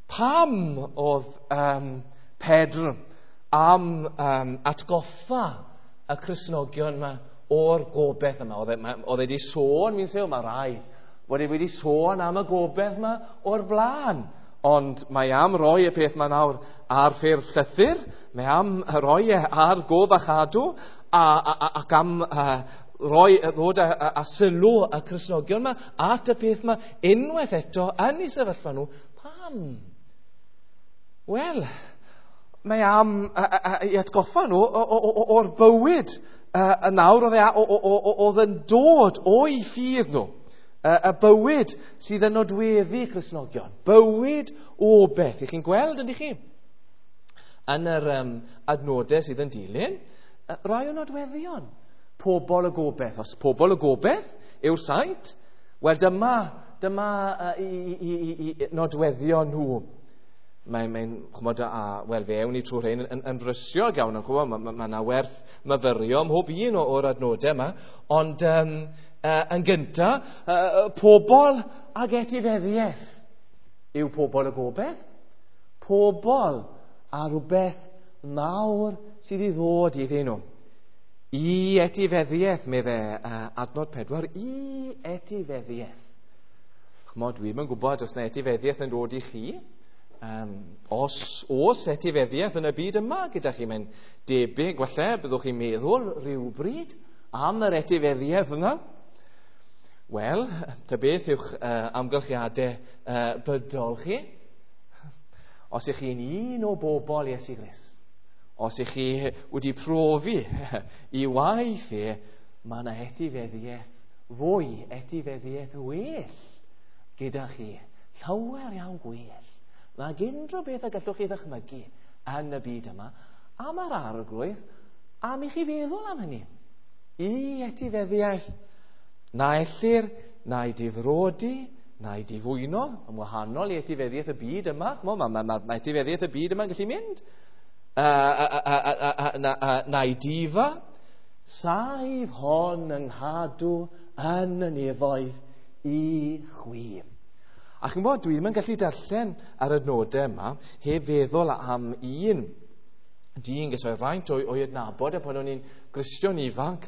Pam oedd um, Pedr am um, atgoffa y Cristnogion yma o'r gobeith yma? Oedd e, oedd e wedi sôn, mi'n sôn, mae rhaid, bod e wedi sôn am y gobeith yma o'r blaen. Ond mae am roi y peth yma nawr ar ffurf llythyr, mae am roi e ar gof a chadw, a, a, a, ac am a, roi, ddod a, a, a sylw y Cristnogion yma at y peth yma unwaith eto yn eu sefyllfa nhw. Pam? Wel, mae am a, a, a, i atgoffa nhw o'r bywyd y nawr oedd, e, oedd yn dod o'i ffydd nhw. Y, y bywyd sydd yn nodweddu Cristnogion. Bywyd o beth. Ych chi'n gweld, ydych chi? Yn yr um, adnodau sydd yn dilyn, rai o nodweddion. Pobol y gobeith. Os pobol y gobeith yw'r saint, wel dyma, dyma uh, i, i, i, i nodweddion nhw. Mae'n, mae, ch'mod, a, wel, fe ewn ni trwy rhain yn, yn, yn frysiog iawn, ch'mod, mae ma, ma werth myfyrio ym mhob un o'r adnodau yma, ond um, uh, yn gynta, uh, pobol ag etifeddiaeth yw pobol y gobeith. Pobol a rhywbeth mawr sydd i ddod iddyn nhw. I etifeddiaeth, medde uh, adnod pedwar, i etifeddiaeth. Ch'mod, dwi'm yn gwybod os na etifeddiaeth yn dod i chi. Um, os oes etifeddiaeth yn y byd yma gyda chi, mae'n debyg, falle, byddwch chi'n meddwl rhywbryd am yr etifeddiaeth yna. Wel, ta beth yw'ch uh, amgylchiadau uh, bydol chi? Os ych chi'n un o bobl Iesu Grist, os ych chi wedi profi i waith e, mae yna etifeddiaeth fwy, etifeddiaeth well gyda chi. Llawer iawn gwell. Mae unrhyw beth y gallwch chi ddychmygu yn y byd yma, a mae'r arglwydd am i chi feddwl am hynny. I etifeddiaeth, na ellir, na'i difrodi, na'i difwyno, yn wahanol i etifeddiaeth y byd yma. Mae ma, ma, ma, ma etifeddiaeth y byd yma'n gallu mynd. Na'i difa, saif hon yng nghadw yn y nefoedd i chwi. A chi'n gwybod, dwi ddim yn gallu darllen ar y adnodau yma heb feddwl am un dyn ges o'i fraint o'i, o'i adnabod e pan o'n i'n Gristion ifanc,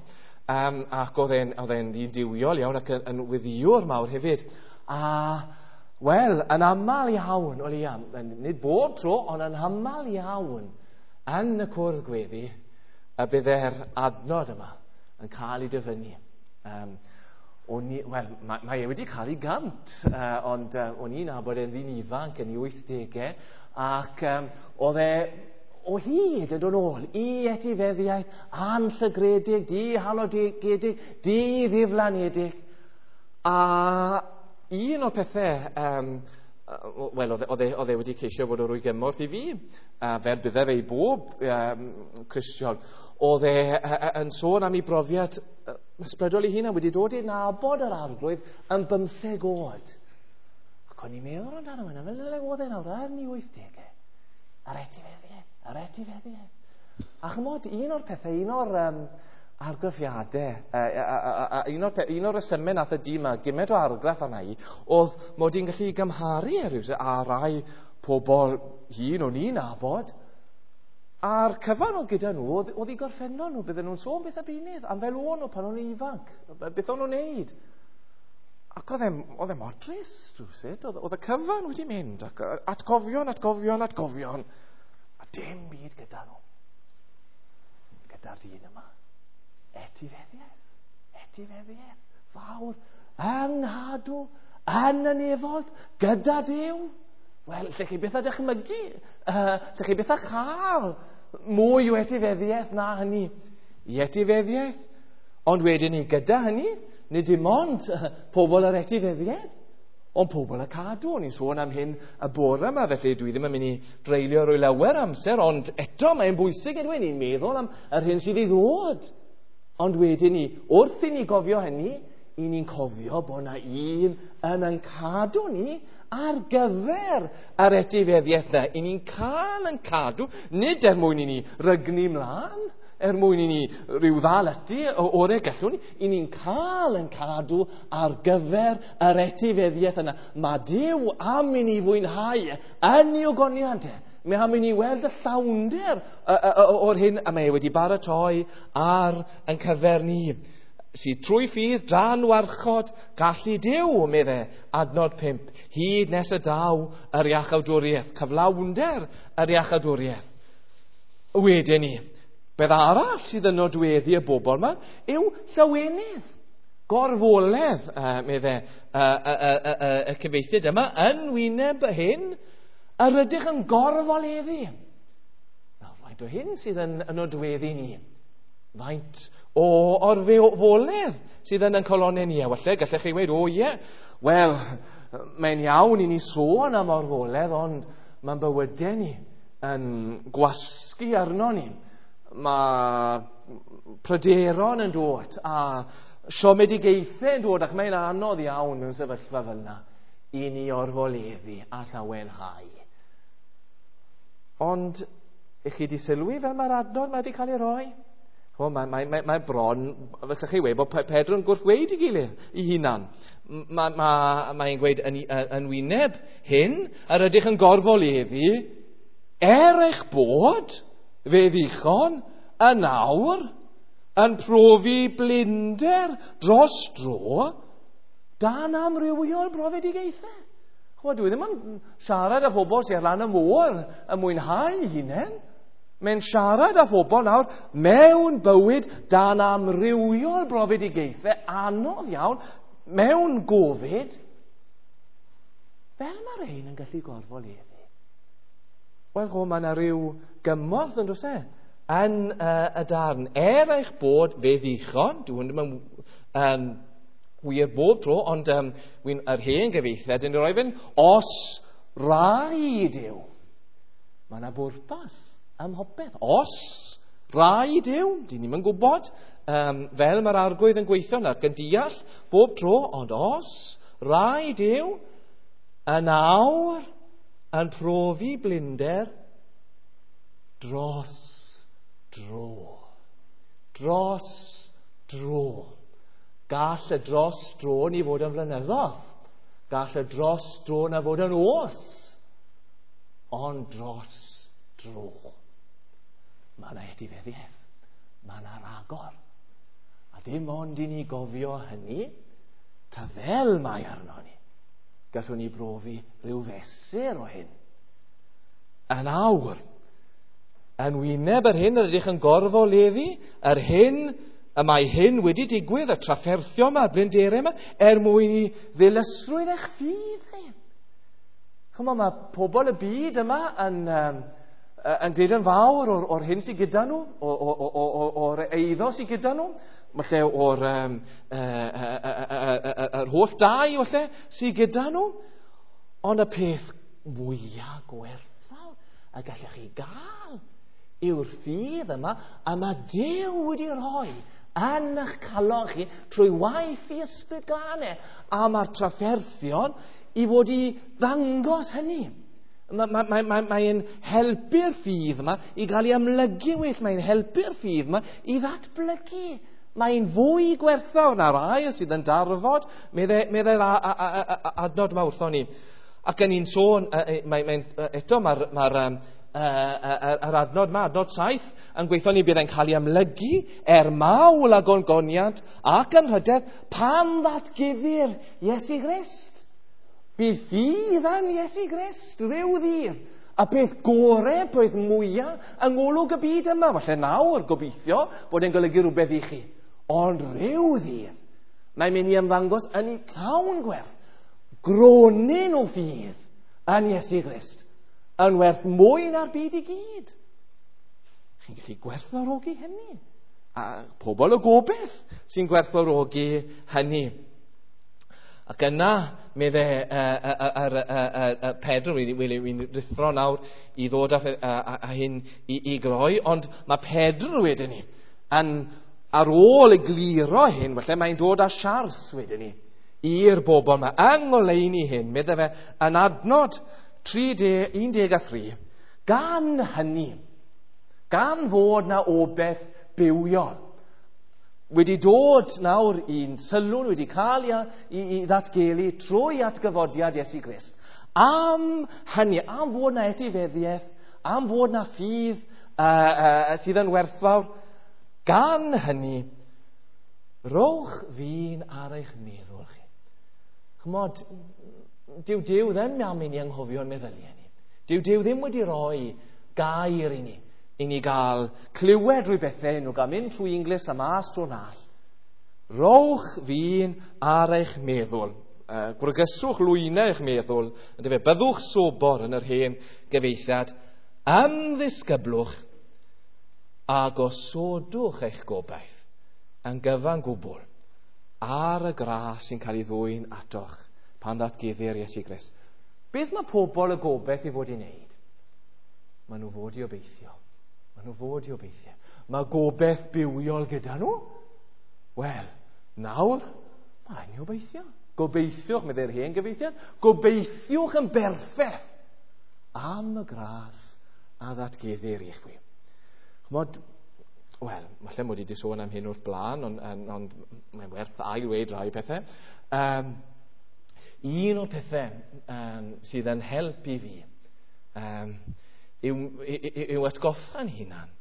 um, ac oedd e'n, oedd e'n ddyn duwiol iawn ac yn, yn weddïwr mawr hefyd. A, wel, yn aml iawn, o leia, nid bob tro, ond yn aml iawn, yn y cwrdd gweddi, y bydde'r adnod yma yn cael ei dyfynnu. Um, O'n i, wel, mae, mae e wedi cael ei gant, uh, ond uh, o'n i'n nabod e'n ddyn ifanc yn ei wythdegau, ac um, oedd e o hyd yn dod nôl i etifeddiaeth anllygredig, dihalogedig, di-ddiflanedig. A un o'r pethau, um, wel, oedd e, oedd e wedi ceisio bod o rwy gymorth i fi, uh, fel bydde fe i bob um, Cristion, oedd e yn sôn am ei brofiad ysbrydol ei hunan, wedi dod i nabod yr arglwydd yn bymtheg oed. Ac o'n i'n meddwl amdano hwnna, fel le oedd e nawr, ar ni wythdegau. Yr etifeddiaeth, yr etifeddiaeth. A chymod, un o'r pethau, un o'r um, argraffiadau, uh, uh, uh, uh, un o'r, un o'r resymau nath y dyn yma gymaint o argraff arna i, oedd mod i'n gallu gymharu e rywsut â rai pobl hŷn o'n i'n nabod, a'r cyfan oedd gyda nhw, oedd, oedd i gorffennol nhw, bydden nhw'n sôn beth a beunydd, am fel o'n nhw pan o'n nhw'n ifanc, beth o'n nhw'n neud. Ac oedd e, oedd e mor drist rywsut, oedd, oedd y cyfan wedi mynd, ac atgofion, atgofion, atgofion, a dim byd gyda nhw. Gyda'r dyn yma, etifeddiaeth, etifeddiaeth, fawr, yng nghadw, yn y nefoedd, gyda Duw. Wel, lle chi beth a dychmygu, uh, lle chi beth a chael mwy o etifeddiaeth na hynny. I etifeddiaeth, ond wedyn ni gyda hynny, nid dim ond pobl yr etifeddiaeth, ond pobl y cadw. O'n i'n sôn am hyn y bore yma, felly dwi ddim yn mynd i dreulio rwy lawer amser, ond eto mae'n bwysig ydw i'n meddwl am yr hyn sydd i ddod. Ond wedyn ni, wrth i ni gofio hynny, i ni'n cofio bod yna un yn yn cadw ni ar gyfer yr etifeddiaeth yna. I ni'n cael yn cadw, nid er mwyn i ni rygnu mlaen, er mwyn i ni rhyw ddal ati o'r e gallwn ni, i ni'n cael yn cadw ar gyfer yr etifeddiaeth yna. Mae Duw am i ni fwynhau yn ei ogoniant e. Mae am i ni weld y llawnder o'r hyn a mae e wedi baratoi ar yn cyfer ni. Sydd trwy ffydd dan warchod gallu Duw, medde, adnod pump, hyd nes y daw yr iachawdwriaeth, cyflawnder yr iachawdwriaeth. Wedyn ni, beth arall sydd yn nodweddu y bobl yma yw llawenydd, gorfoledd, uh, medde, uh, uh, uh, uh, uh, y cyfieithydd yma, yn wyneb hyn, yr ydych yn gorfoleddu. Nawr, faint o hyn sydd yn, yn nodweddu ni? Faint o orfoledd sydd yn yn colonnau ni? A falle gallech chi weud, o ie, wel, mae'n iawn i ni sôn am orfoledd, ond mae'n bywydau ni yn gwasgu arno ni. Mae pryderon yn dod a siomedigaethau yn dod, ac mae'n anodd iawn mewn sefyllfa fel yna i ni orfoleddu a llawenhau. Ond, ych chi di sylwi fel mae'r adnod mae wedi cael ei roi? O, mae, mae, mae, mae bron, fel chi weud, bod Pedro yn gwrthweud i gilydd, i hunan. Mae, mae, mae'n gweud yn, yn wyneb hyn, yr ydych yn gorfoleddu, er eich bod, fe ddichon, yn awr, yn profi blinder dros dro, dan amrywiol brofedigaethau. Chwa, dwi ddim yn siarad â phobl sy'n ar lan y môr yn mwynhau hunain. Mae'n siarad â phobl nawr mewn bywyd dan amrywiol brofedigaethau anodd iawn, mewn gofid, fel mae rhain yn gallu gorfoleddu. Wel, chwa, mae yna rhyw gymorth yn does e, yn uh, y darn. Er eich bod fe ddichon, dwi'n ddim yn um, wir bob tro, ond um, wy'n yr hen gyfieithiad yn rhoi fynd, os rhaid yw. Mae yna bwrpas ym mhopeth. Os rhaid yw, dyn ni'm yn gwybod, um, fel mae'r arglwydd yn gweithio nac yn deall bob tro, ond os rhaid yw, yn awr yn profi blinder dros dro. Dros dro. Gall y dros dro ni fod yn flynyddoedd. Gall y dros dro na fod yn oes. Ond dros dro. Mae yna etifeddiaeth. Mae yna ragor. A dim ond i ni gofio hynny, ta fel mae arno ni, gallwn ni brofi rhyw fesur o hyn. Yn awr, yn wyneb yr hyn yr ydych yn gorfoleddu, yr hyn y mae hyn wedi digwydd, y trafferthio yma, y blinderau yma, er mwyn i ddilysrwydd eich ffydd chi. Chymod, mae pobl y byd yma yn, um, yn gwneud yn fawr o'r, o'r hyn sydd gyda nhw, o'r eiddo sydd gyda nhw, falle o'r um, yr holl dai falle sydd gyda nhw, ond y peth mwyaf gwerthfawr y gallech chi gael yw'r ffydd yma, a mae Duw wedi rhoi yn eich calon chi trwy waith i ysbryd glân e, a mae'r trafferthion i fod i ddangos hynny. Mae'n mae, mae, mae, mae helpu'r ffydd yma i gael ei amlygu well. Mae'n helpu'r ffydd yma i ddatblygu. Mae'n fwy gwerthfawr na'r aur sydd yn darfod, meddai'r adnod yma wrthon ni. Ac yn ni'n sôn, mae, mae, eto mae'r mae, yr adnod yma, adnod saith, yn gweithio ni bydd e'n cael ei amlygu er mawl a gongoniant ac yn rhydedd pan ddatguddir Iesu Grist. Bydd ffydd yn Iesu Grist rhyw ddydd. A beth gore, beth mwyaf yng ngolwg y byd yma. Falle nawr, gobeithio, bod e'n golygu rhywbeth i chi. Ond rhyw ddydd, mae'n mynd i ymddangos yn ei llawn gwerth. Gronyn o ffydd yn Iesu Grist yn werth mwy na'r byd i gyd. Chi'n gallu gwerthfawrogi hynny. A pobl o gobaith sy'n gwerthfawrogi hynny. Ac yna, medde Pedro, wy'n rhuthro nawr i ddod â, a, a, a hyn i, i gloi, ond mae Pedro wedyn ni, yn, ar ôl egluro hyn, falle mae'n dod â siars wedyn ni, i'r bobl yma, yng ngoleuni hyn, medde fe, yn adnod tri un deg a thri, gan hynny, gan fod na obaith bywiol, wedi dod nawr i'n sylw, wedi cael i, i, i ddatgelu trwy atgyfodiad Iesu Grist. Am hynny, am fod na etifeddiaeth, am fod na ffydd uh, uh, sydd yn werthfawr, gan hynny, rowch fin ar eich meddwl chi. Chymod, dyw Duw ddim am i ni anghofio'n meddyliau ni. Dyw Duw ddim wedi rhoi gair i ni, i ni gael clywed drwy bethau, nhw gael mynd trwy Inglis a mas trwy'r nall. Rowch fin ar eich meddwl. Uh, gwregyswch lwynau eich meddwl. Yndyfe, byddwch sobor yn yr hen gyfeithiad. Ymddisgyblwch a gosodwch eich gobaith yn gyfan gwbl ar y gras sy'n cael ei ddwyn atoch pan ddatguddir Iesu Grist. Beth mae pobl y gobaith i fod i wneud? Maen nhw fod i obeithio. Maen nhw fod i obeithio. Mae gobaith bywiol gyda nhw. Wel, nawr, mae rhaid ni obeithio. Gobeithiwch, meddai'r hen gyfeithiad, gobeithiwch yn berffaith am y gras a ddatguddir i chwi. Chymod, wel, falle mod i wedi sôn am hyn wrth blaen, ond, ond, ond mae'n werth ail-weud rai pethau. Um, un o'r pethau um, sydd yn help i fi um, yw, yw, yw atgoffa'n hunan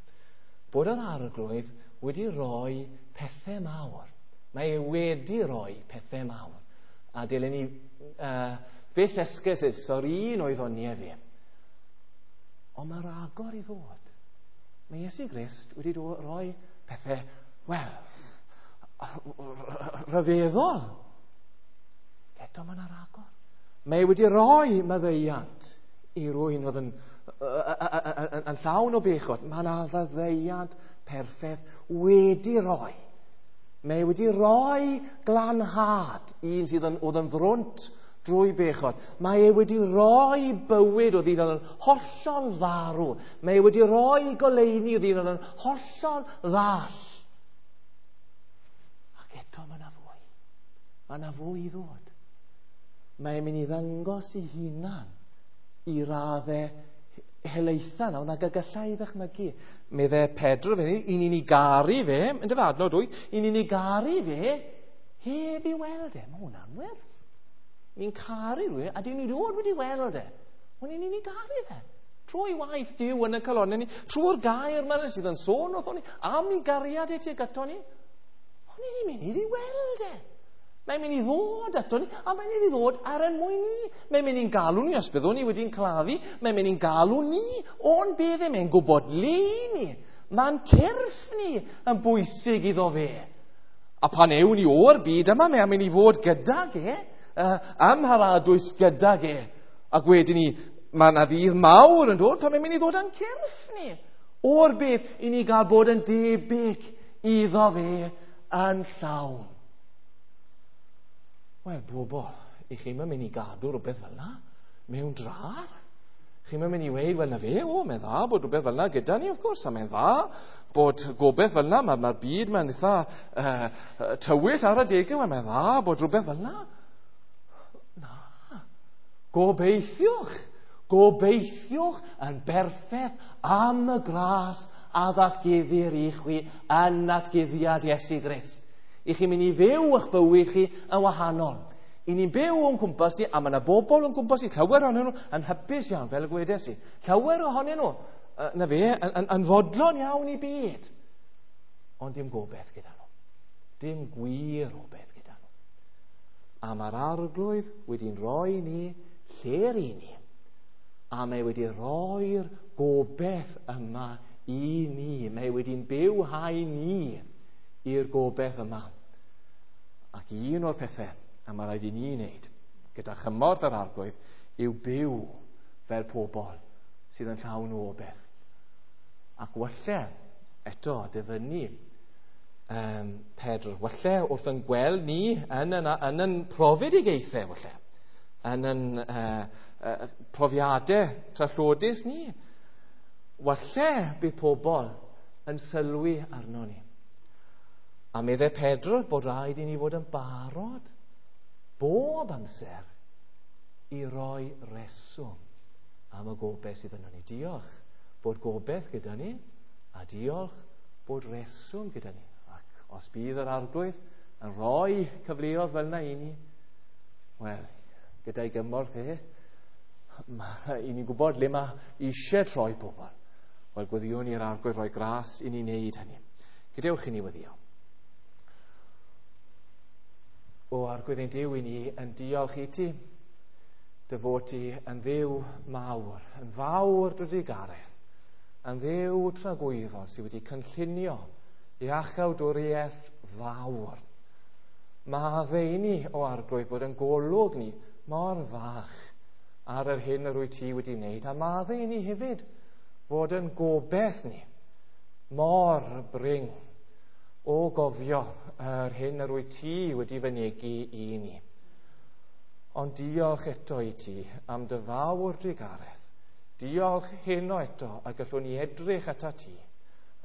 bod yr Arglwydd wedi rhoi pethau mawr. Mae e wedi rhoi pethau mawr. A dylen ni uh, beth esgus o'r un oedd o'n ni fi. Ond mae ragor i ddod. Mae Iesu Grist wedi rhoi pethau, wel, rhyfeddol. Eto mae yna ragor. Mae wedi rhoi maddeuant i rywun oedd yn, yn, yn llawn o bechod. Mae yna faddeuant perffaith wedi rhoi. Mae wedi rhoi glanhad un sydd yn, oedd yn frwnt drwy bechod. Mae e wedi rhoi bywyd oedd un oedd yn hollol farw. Mae e wedi rhoi goleuni oedd un oedd yn hollol ddall. Ac eto mae yna fwy. Mae yna fwy i ddod. Mae e'n mynd i ddangos i hunan i raddau helaetha nawr nag y gallai ddychmygu. Meddai Pedro fe, i ni'n ei garu fe, yn dyfa adnod wyth, i ni'n ei garu fe heb i weld e. Mae hwnna'n werth. Ni'n caru rhywun, a dyn ni dod wedi weld e. Ond ni'n ei garu fe. Trwy waith Duw yn y calonnau ni, trwy'r gair yma sydd yn sôn wrthon ni, am ei gariad e tuag ato ni. Ond ni'n mynd i weld e. Mae'n mynd i ddod ato ni, a mae'n mynd i ddod ar ein mwyn ni. Mae'n mynd i'n galw ni, os byddwn ni wedi'n claddu, mae'n mynd i'n galw ni o'n beddau, mae'n gwybod le ni. Mae'n cyrff ni yn bwysig iddo fe. A pan ewn ni o'r byd yma, mae'n mynd i fod gydag e, uh, ym mharadwys gydag e. Ac wedyn ni, mae yna ddydd mawr yn dod pan mae'n mynd i ddod â'n cyrff ni o'r byd i ni gael bod yn debyg iddo fe yn llawn. Wel, bobl, i chi'n mynd i gadw rhywbeth fel yna mewn drar? Chi'n mynd i weud, wel na fe, o, mae'n dda bod rhywbeth fel yna gyda ni, of course, a mae'n dda bod gobaith fel yna, mae'r ma byd mae'n eitha uh, tywyll ar adegau, wel, mae'n dda bod rhywbeth fel yna. Na, gobeithiwch, Gobeithiwch yn berffaith am y gras a ddatguddir i chwi yn natguddiad Iesu Grist. I chi'n mynd i fyw eich bywyd chi yn wahanol. I ni'n byw o'n cwmpas ni, a mae yna bobl o'n cwmpas ni, llawer ohonyn nhw yn hapus iawn, fel y gwedes i. Llawer ohonyn nhw, na fe, yn, yn, yn fodlon iawn i byd. Ond dim gobeith gyda nhw. Dim gwir obeith gyda nhw. A mae'r Arglwydd wedi'n rhoi ni lle'r i ni. A mae wedi rhoi'r gobeith yma i ni. Mae wedi'n bywhau ni i'r gobeith yma. Ac un o'r pethau a mae rhaid i ni wneud gyda chymorth yr Arglwydd yw byw fel pobl sydd yn llawn o obeith. Ac walle, eto, dyfynnu um, Pedr, walle wrth yn gweld ni yn yn, yn, yn profedigaethau, walle, yn yn uh, uh, profiadau trallodus ni, walle bydd pobl yn sylwi arno ni. A meddai Pedr bod rhaid i ni fod yn barod bob amser i roi reswm am y gobeith sydd yno ni. Diolch bod gobeith gyda ni, a diolch bod reswm gyda ni. Ac os bydd yr Arglwydd yn rhoi cyfleoedd fel yna i ni, wel, gyda'i gymorth e, ma, i ni'n gwybod le mae eisiau troi pobl. Wel, gweddiwn i'r Arglwydd roi gras i ni wneud hynny. Gadewch i ni weddio. O Arglwydd ein Duw, i ni yn diolch i ti, dy fod ti yn Dduw mawr, yn fawr dy drugaredd, yn Dduw tragwyddol sydd wedi cynllunio iachawdwriaeth fawr. Maddau i ni, o Arglwydd, bod yn golwg ni mor fach ar yr hyn yr wyt ti wedi wneud, a maddau i ni hefyd fod yn gobeith ni mor brin o gofio yr hyn yr wyt ti wedi fynegi i ni. Ond diolch eto i ti am dy fawr drugaredd. Diolch heno eto a gallwn ni edrych ata ti.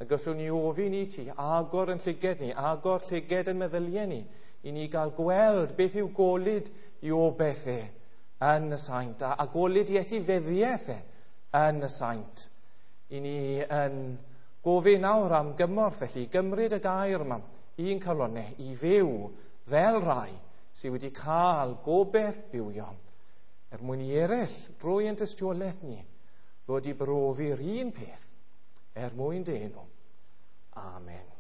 A gallwn ni ofyn i ti agor yn llyged ni, agor llyged yn meddyliau ni, i ni gael gweld beth yw golud i obeith e yn y saint, a, a golud i etifeddiaeth e yn y saint. I ni yn gofyn nawr am gymorth felly, gymryd y gair yma i'n calonnau, i fyw fel rai sydd wedi cael gobeith bywiol, er mwyn i eraill drwy ein tystiolaeth ni ddod i brofi'r un peth er mwyn dy enw. Amen.